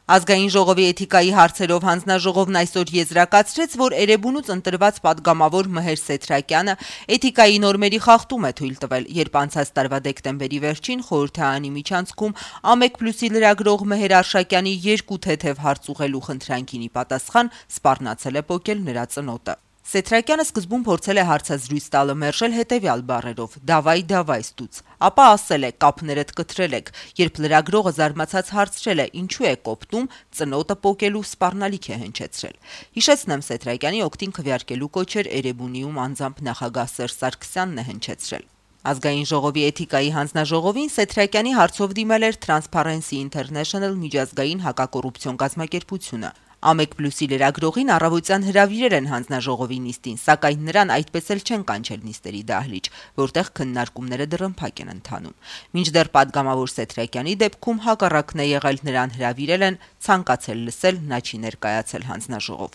Ազգային ժողովի էթիկայի հարցերով հանձնաժողովն այսօր եզրակացրեց, որ Էրեբունուց ընտրված պատգամավոր Մհեր Սեթրակյանը էթիկայի նորմերի խախտում է թույլ տվել, երբ անցած տարվա դեկտեմբերի վերջին խորհրդարանի միջանցքում ԱՄԵԿ+-ի լրագրող Մհեր Արշակյանի 2 թեթև հարց ուղղելու խնդրանքին ի պատասխան սպառնացել է պոկել նրա ծնոտը։ Սեթրակյանը սկզբում փորձել է հարցազրույց տալը մերժել հետևյալ բառերով՝ «Դավայ ստուց», ապա ասել է՝ «Կապներդ կտրել եք», երբ լրագրողը զարմացած հարցրել է՝ «Ինչու է կոպտում», ծնոտը պոկելու սպառնալիք է հնչեցրել։ Հիշեցնեմ, Սեթրակյանի օգտին քվեարկելու կոչեր Էրեբունիում անձամբ նախագահ Սերժ Սարգսյանն է հնչեցրել։ Ազգային ժողովի էթիկայի հանձնաժողովին Սեթրակյանի հարցով դիմել էր Transparency International միջազգային հակակոռուպցիոն կազմակերպությունը։ ԱՄԵԿ+-ի լրագրողին առավոտյան հրավիրել են հանձնաժողովի նիստին, սակայն նրան այդպես էլ չեն կանչել նիստերի դահլիճ, որտեղ քննարկումները դռնփակ են ընթանում։ Մինչդեռ պատգամավոր Սեթրակյանի դեպքում հակառակն է եղել, նրան հրավիրել են, ցանկացել լսել, նա չի ներկայացել հանձնաժողով։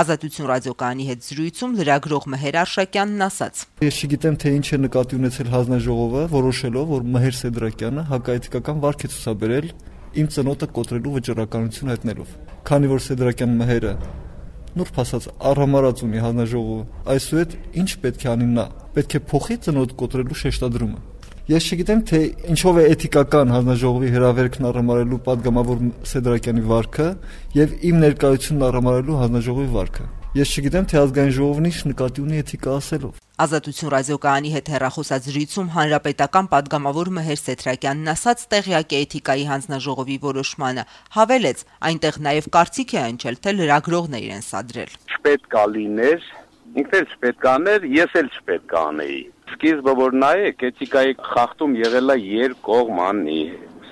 Ազատություն ռադիոկայանի հետ զրույցում լրագրող Մհեր Արշակյանն ասաց. Ես չգիտեմ, թե ինչ է նկատի ունեցել հանձնաժողովը, որոշելով, որ Մհեր Սեթրակյանը հակաէթիկական վարք է ցուցաբերել իմ ծնոտը կոտրելու վճռականություն հայտնելով։ Քանի որ Սեթրակյան Մհերը նուրբ ասած առհամարած ունի հանձնաժողովը, այսուհետ ինչ պետք է անի նա, պետք է փոխի ծնոտ կոտրելու շեշտադրումը։ Ես չգիտեմ, թե ինչով է էթիկական հանձնաժողովի հրավերքն առհամարելու պատգամավոր Սեթրակյանի վարքը եւ իմ ներկայությունն առհամարելու հանձնաժողովի վարքը։ Ես չգիտեմ, թե ազգային ժողովն ինչ նկատի ունի էթիկա ասելով։ Ազատություն ռադիոկայանի հետ հեռախոսազրույցում հանրապետական պատգամավոր Մհեր Սեթրակյանն ասաց տեղյակ է էթիկայի հանձնաժողովի որոշմանը, հավելեց, այնտեղ նաև կարծիք է հնչել, թե լրագրողն է իրեն սադրել։ Չպետք է լիներ, ինքն էլ չպետք է աներ, ես էլ չպետք է անեի։ Սկիզբը որ նայեք, էթիկայի խախտում եղել է երկկողմանի։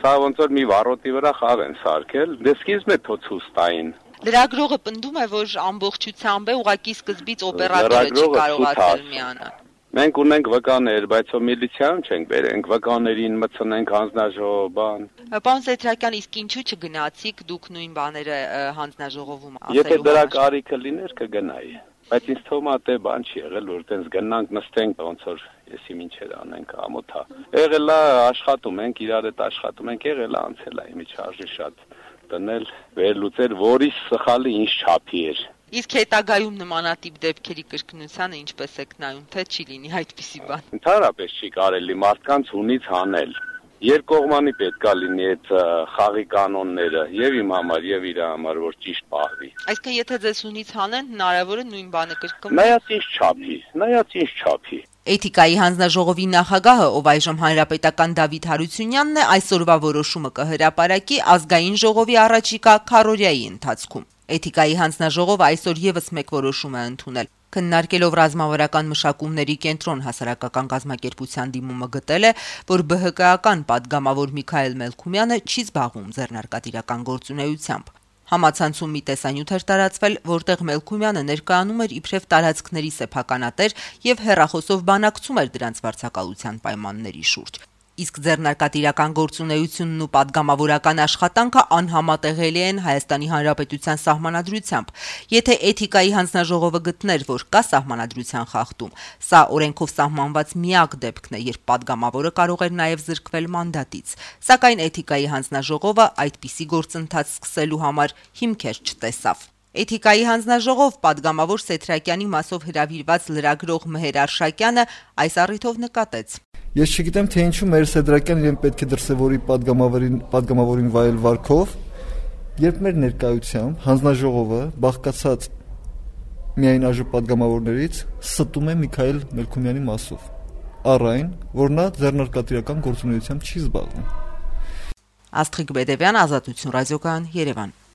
Սա ոնց որ մի վարոտի վրա խաղ են սարքել, դե սկիզբն է թոցուս տային։ Լրագրողը պնդում է, որ ամբողջությամբ է ուղղակի սկզբից օպերատորը չի կարողացել միանալ։ Մենք ունենք վկաներ, բայց միլիցիայում չենք բերենք, վկաներին մտցնենք հանձնաժողով բան։ Պարոն Սեթրակյան, իսկ ինչու չգնացիք դուք նույն բաները հանձնաժողովում ասելու։ Եթե դրա կարիքը լիներ, կգնայի։ Բայց ինձ թվում է թե բան չի եղել, որ տենց գնանք նստենք ոնց որ եսի ինչեր անենք ամոթա։ Եղել է աշխատում ենք, իրար հետ աշխատում ենք, եղել է անցել է իմիջարժի շատ տնել, վերլուծել, որի սխալը ինչ չափի էր։ Իսկ հետագայում նմանատիպ դեպքերի կրկնությանը ինչպես եք նայում, թե չի լինի այդպիսի բան։ Ընդհանրապես չի կարելի մարդկանց ունից հանել։ Երկկողմանի պետք է լինի այդ խաղի կանոնները եւ իմ համար եւ իր համար, որ ճիշտ պահվի։ Այսինքն եթե ձեզ ունից հանեն, հնարավոր է նույն բանը կրկնվի։ Նայած ինչ չափի։ Էթիկայի հանձնաժողովի նախագահը, ով այժմ հանրապետական Դավիթ Հարությունյանն է, այսօրվա որոշումը կհրապարակի ազգային ժողովի առաջիկա քառօրյայի ընթացքում։ Էթիկայի հանձնաժողովը այսօր եւս մեկ որոշում է ընդունել։ Քննարկելով ռազմավարական մշակումների կենտրոն հասարակական կազմակերպության դիմումը գտել է, որ ԲՀԿ-ական պատգամավոր Միքայել Մելքումյանը չի զբաղվում ձեռնարկատիրական գործունեությամբ։ Համացանցում մի տեսանյութ էր տարածվել, որտեղ Մելքումյանը ներկայանում էր իբրև տարածքների սեփականատեր եւ հեռախոսով բանակցում էր դրանց վարձակալության պայմանների շուրջ։ Իսկ ձեռնարկատիրական գործունեությունն ու պատգամավորական աշխատանքը անհամատեղելի են Հայաստանի Հանրապետության սահմանադրությամբ։ Եթե էթիկայի հանձնաժողովը գտներ, որ կա սահմանադրության խախտում, սա օրենքով սահմանված միակ դեպքն է, երբ պատգամավորը կարող էր նաև զրկվել մանդատից։ Սակայն էթիկայի հանձնաժողովը այդպիսի գործընթաց սկսելու համար հիմքեր չտեսավ։ Էթիկայի հանձնաժողով պատգամավոր Սեթրակյանի մասով հրավիրված լրագրող Մհեր Արշակյանը այս առիթով նկատեց. Ես չգիտեմ, թե ինչու Մհեր Սեթրակյանն իրեն պետք է դրսևորի պատգամավորին վայել վարքով, երբ մեր ներկայությամբ հանձնաժողովը բաղկացած միայն այժմ պատգամավորներից ստում է Միքայել Մելքումյանի մասով, առ այն, որ նա ձեռնարկատիրական գործունեությամբ չի զբաղվում։ Աստղիկ Բեդևյան, Ազատություն ռադիոկայան, Երևան։